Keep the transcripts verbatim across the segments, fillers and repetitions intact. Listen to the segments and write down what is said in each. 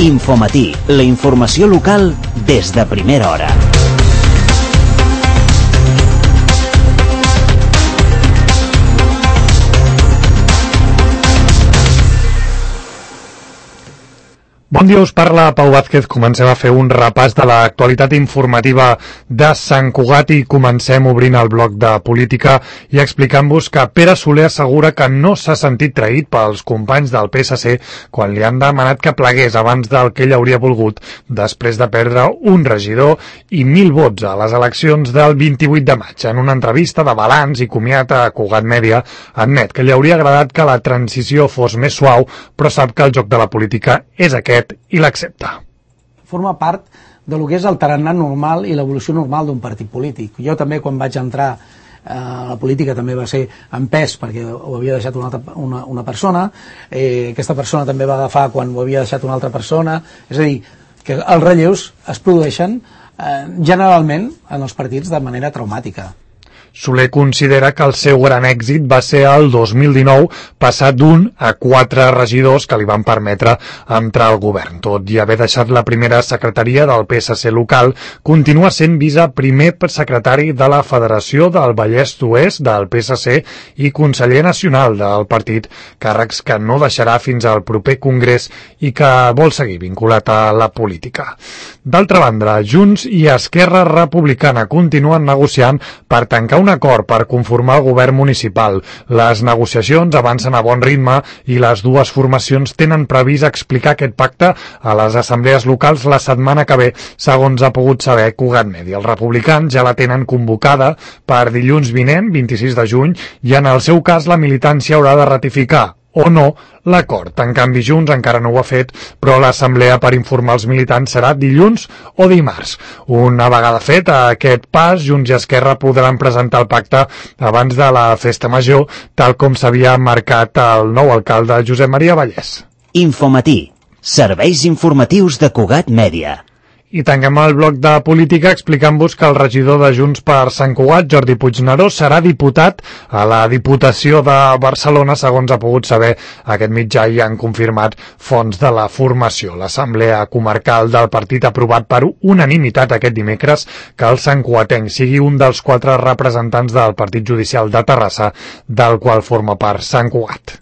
Infomatí, la informació local des de primera hora. Bon dia, us parla Pau Vázquez. Comencem a fer un repàs de l'actualitat informativa de Sant Cugat i comencem obrint el bloc de política i explicant-vos que Pere Soler assegura que no s'ha sentit traït pels companys del P S C quan li han demanat que plegués abans del que ell hauria volgut després de perdre un regidor i mil vots a les eleccions del vint-i-vuit de maig. En una entrevista de balanç i comiat a Cugat Mèdia, admet que li hauria agradat que la transició fos més suau, però sap que el joc de la política és aquest i l'accepta. Forma part de lo que és el tarannà normal i l'evolució normal d'un partit polític. Jo també, quan vaig entrar eh, a la política, també va ser en pes perquè ho havia deixat una, altra, una, una persona, eh, aquesta persona també va agafar quan ho havia deixat una altra persona, és a dir, que els relleus es produeixen eh, generalment en els partits de manera traumàtica. Soler considera que el seu gran èxit va ser el dos mil dinou, passat d'un a quatre regidors que li van permetre entrar al govern. Tot i haver deixat la primera secretaria del P S C local, continua sent viceprimer secretari de la Federació del Vallès d'Oest del P S C i conseller nacional del partit, càrrecs que no deixarà fins al proper congrés i que vol seguir vinculat a la política. D'altra banda, Junts i Esquerra Republicana continuen negociant per tancar un acord per conformar el govern municipal. Les negociacions avancen a bon ritme i les dues formacions tenen previst explicar aquest pacte a les assemblees locals la setmana que ve, segons ha pogut saber Cugat Mèdia. Els republicans ja la tenen convocada per dilluns vinent, vint-i-sis de juny, i en el seu cas la militància haurà de ratificar o no l'acord. En canvi, Junts encara no ho ha fet, però l'assemblea per informar els militants serà dilluns o dimarts. Una vegada fet aquest pas, Junts i Esquerra podran presentar el pacte abans de la festa major, tal com s'havia marcat el nou alcalde Josep Maria Vallès. Infomatí, serveis informatius de Cugat Mèdia. I tanquem el bloc de política explicant-vos que el regidor de Junts per Sant Cugat, Jordi Puigneró, serà diputat a la Diputació de Barcelona, segons ha pogut saber aquest mitjà i han confirmat fonts de la formació. L'Assemblea Comarcal del partit ha aprovat per unanimitat aquest dimecres que el santcugatenc sigui un dels quatre representants del Partit Judicial de Terrassa, del qual forma part Sant Cugat.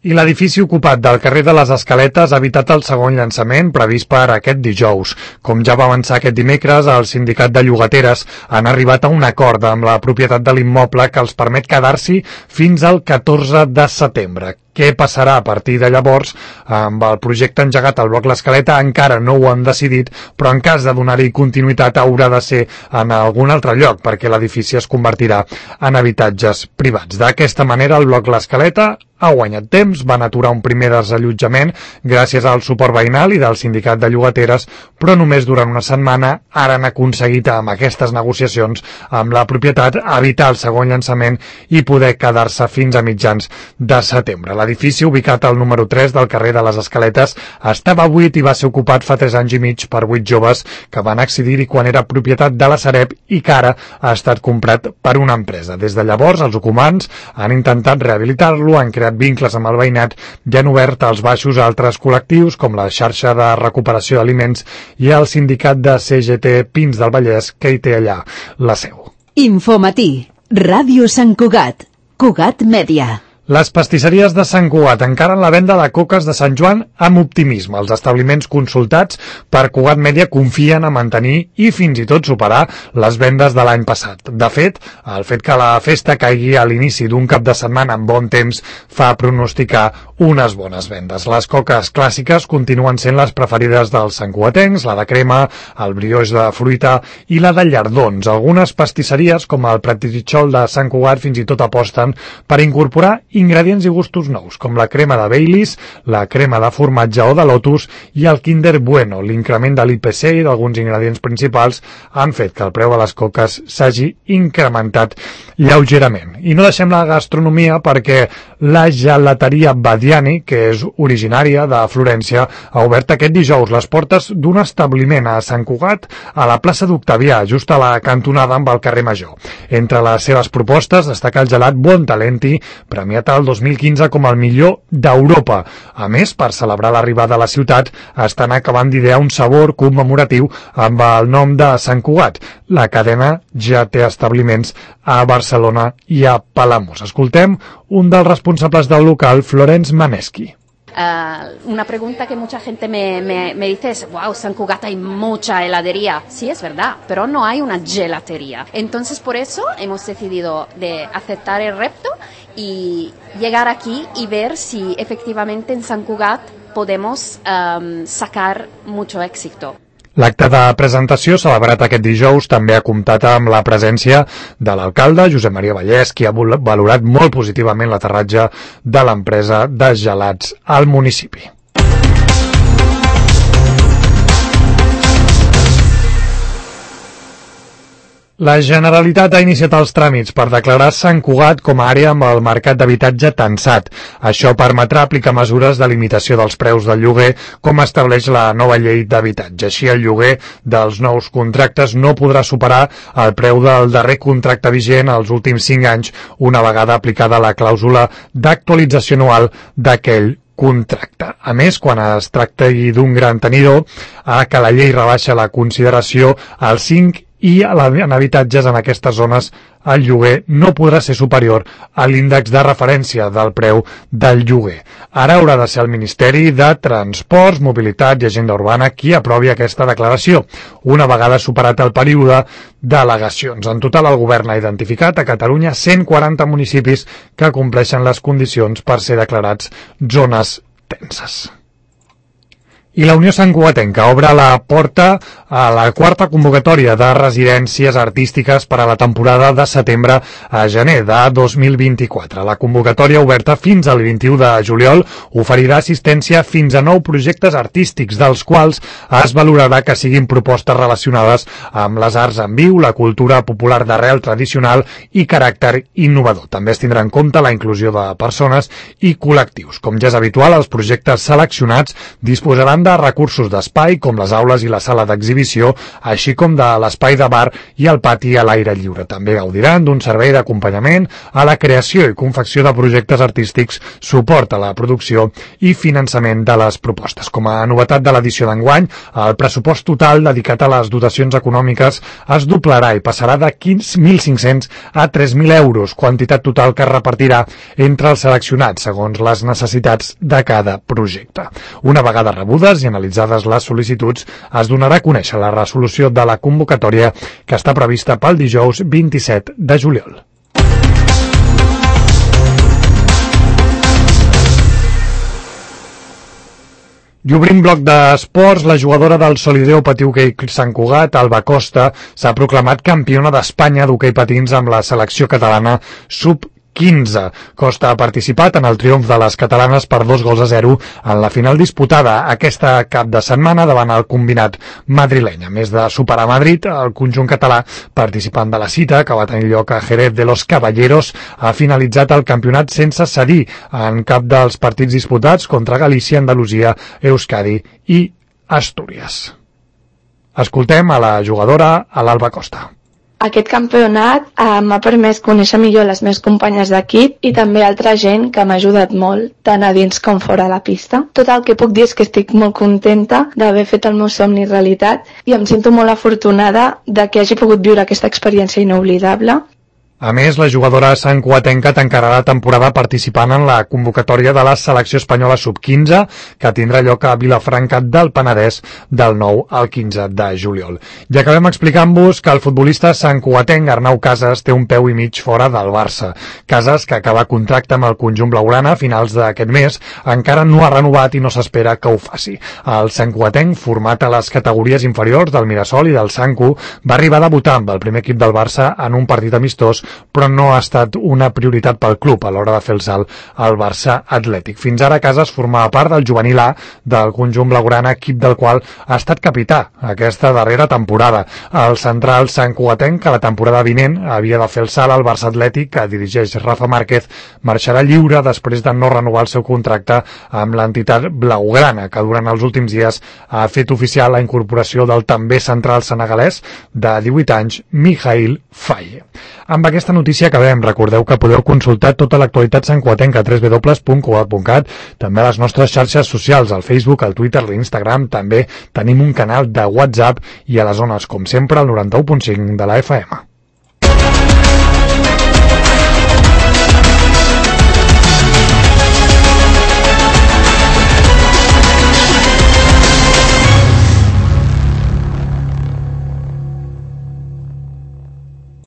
I l'edifici ocupat del carrer de les Escaletes ha evitat el segon llançament previst per aquest dijous. Com ja va avançar aquest dimecres, el sindicat de llogateres han arribat a un acord amb la propietat de l'immoble que els permet quedar-s'hi fins al catorze de setembre. Què passarà a partir de llavors amb el projecte engegat al bloc L'Escaleta encara no ho han decidit, però en cas de donar-hi continuïtat haurà de ser en algun altre lloc perquè l'edifici es convertirà en habitatges privats. D'aquesta manera el bloc L'Escaleta ha guanyat temps, van aturar un primer desallotjament gràcies al suport veïnal i del sindicat de llogateres, però només durant una setmana ara han aconseguit amb aquestes negociacions amb la propietat evitar el segon llançament i poder quedar-se fins a mitjans de setembre. L'edifici, ubicat al número tres del carrer de les Escaletes, estava buit i va ser ocupat fa tres anys i mig per vuit joves que van accedir-hi quan era propietat de la Sareb i que ara ha estat comprat per una empresa. Des de llavors, els ocupants han intentat rehabilitar-lo, han creat vincles amb el veïnat i han obert els baixos a altres col·lectius com la xarxa de recuperació d'aliments i el sindicat de C G T Pins del Vallès, que hi té allà la seu. Infomatí, Ràdio Sant Cugat, Cugat Mèdia. Les pastisseries de Sant Cugat encaren la venda de coques de Sant Joan amb optimisme. Els establiments consultats per Cugat Mèdia confien a mantenir i fins i tot superar les vendes de l'any passat. De fet, el fet que la festa caigui a l'inici d'un cap de setmana amb bon temps fa pronosticar unes bones vendes. Les coques clàssiques continuen sent les preferides dels santcugatencs, la de crema, el brioix de fruita i la de llardons. Algunes pastisseries, com el Pratitxol de Sant Cugat, fins i tot aposten per incorporar ingredients i gustos nous, com la crema de Baileys, la crema de formatge o de lotus i el Kinder Bueno. L'increment de l'I P C i d'alguns ingredients principals han fet que el preu de les coques s'hagi incrementat lleugerament. I no deixem la gastronomia perquè La gelateria Badiani, que és originària de Florència, ha obert aquest dijous les portes d'un establiment a Sant Cugat, a la plaça d'Octavià, just a la cantonada amb el carrer Major. Entre les seves propostes destaca el gelat Buon Talenti, premiat el dos mil quinze com el millor d'Europa. A més, per celebrar l'arribada a la ciutat, estan acabant d'idear un sabor commemoratiu amb el nom de Sant Cugat. La cadena ja té establiments a Barcelona i a Palamós. Escoltem un dels responsables del local, Florence Maneschi. Uh, una pregunta que mucha gente me, me, me dice es, wow, San Cugat hay mucha heladería. Sí, es verdad, pero no hay una gelatería. Entonces, por eso hemos decidido de aceptar el reto y llegar aquí y ver si efectivamente en San Cugat podemos um, sacar mucho éxito. L'acte de presentació, celebrat aquest dijous, també ha comptat amb la presència de l'alcalde, Josep Maria Vallès, qui ha valorat molt positivament l'aterratge de l'empresa de gelats al municipi. La Generalitat ha iniciat els tràmits per declarar Sant Cugat com a àrea amb el mercat d'habitatge tensat. Això permetrà aplicar mesures de limitació dels preus del lloguer, com estableix la nova llei d'habitatge. Així, el lloguer dels nous contractes no podrà superar el preu del darrer contracte vigent els últims cinc anys, una vegada aplicada la clàusula d'actualització anual d'aquell contracte. A més, quan es tracti d'un gran tenidor, a que la llei rebaixa la consideració al cinc i en habitatges en aquestes zones el lloguer no podrà ser superior a l'índex de referència del preu del lloguer. Ara haurà de ser el Ministeri de Transports, Mobilitat i Agenda Urbana qui aprovi aquesta declaració, una vegada superat el període d'al·legacions. En total, el govern ha identificat a Catalunya cent quaranta municipis que compleixen les condicions per ser declarats zones tenses. I la Unió Santcugatenca obre la porta a la quarta convocatòria de residències artístiques per a la temporada de setembre a gener de dos mil vint-i-quatre. La convocatòria, oberta fins al vint-i-u de juliol, oferirà assistència fins a nou projectes artístics, dels quals es valorarà que siguin propostes relacionades amb les arts en viu, la cultura popular d'arrel tradicional i caràcter innovador. També es tindrà en compte la inclusió de persones i col·lectius. Com ja és habitual, els projectes seleccionats disposaran de recursos d'espai, com les aules i la sala d'exhibició, així com de l'espai de bar i el pati a l'aire lliure. També gaudiran d'un servei d'acompanyament a la creació i confecció de projectes artístics, suport a la producció i finançament de les propostes. Com a novetat de l'edició d'enguany, el pressupost total dedicat a les dotacions econòmiques es doblarà i passarà de mil cinc-cents a tres mil euros, quantitat total que es repartirà entre els seleccionats segons les necessitats de cada projecte. Una vegada rebudes i analitzades les sol·licituds, es donarà a conèixer la resolució de la convocatòria que està prevista pel dijous vint-i-set de juliol. I obrim bloc d'esports, la jugadora del Solideo Patí Hoquei Sant Cugat, Alba Costa, s'ha proclamat campiona d'Espanya d'hoquei patins amb la selecció catalana sub quinze. Costa ha participat en el triomf de les catalanes per dos gols a zero en la final disputada aquesta cap de setmana davant el combinat madrileny. A més de superar Madrid, el conjunt català, participant de la cita que va tenir lloc a Jerez de los Caballeros, ha finalitzat el campionat sense cedir en cap dels partits disputats contra Galícia, Andalusia, Euskadi i Astúries. Escoltem a la jugadora, a l'Alba Costa. Aquest campionat eh, m'ha permès conèixer millor les meves companyes d'equip i també altra gent que m'ha ajudat molt, tant a dins com fora de la pista. Tot el que puc dir és que estic molt contenta d'haver fet el meu somni realitat i em sento molt afortunada de que hagi pogut viure aquesta experiència inoblidable. A més, la jugadora santcugatenca tancarà la temporada participant en la convocatòria de la selecció espanyola sub quinze, que tindrà lloc a Vilafranca del Penedès del nou al quinze de juliol. I acabem explicant-vos que el futbolista santcugatenc Arnau Casas té un peu i mig fora del Barça. Casas, que acaba contracte amb el conjunt blaugrana a finals d'aquest mes, encara no ha renovat i no s'espera que ho faci. El santcugatenc, format a les categories inferiors del Mirasol i del Sancu, va arribar a debutar amb el primer equip del Barça en un partit amistós però no ha estat una prioritat pel club a l'hora de fer el salt al Barça Atlètic. Fins ara Casas formava part del juvenil A del conjunt blaugrana, equip del qual ha estat capità aquesta darrera temporada. El central santcugatenc, que la temporada vinent havia de fer el salt al Barça Atlètic, que dirigeix Rafa Márquez, marxarà lliure després de no renovar el seu contracte amb l'entitat blaugrana, que durant els últims dies ha fet oficial la incorporació del també central senegalès de divuit anys, Mikhail Faye. Amb aquesta notícia acabem. Recordeu que podeu consultar tota l'actualitat santcugatenca a w w w punt cugat punt cat, també a les nostres xarxes socials, al Facebook, al Twitter, a l'Instagram. També tenim un canal de WhatsApp i a les zones, com sempre, al noranta-u punt cinc de la F M.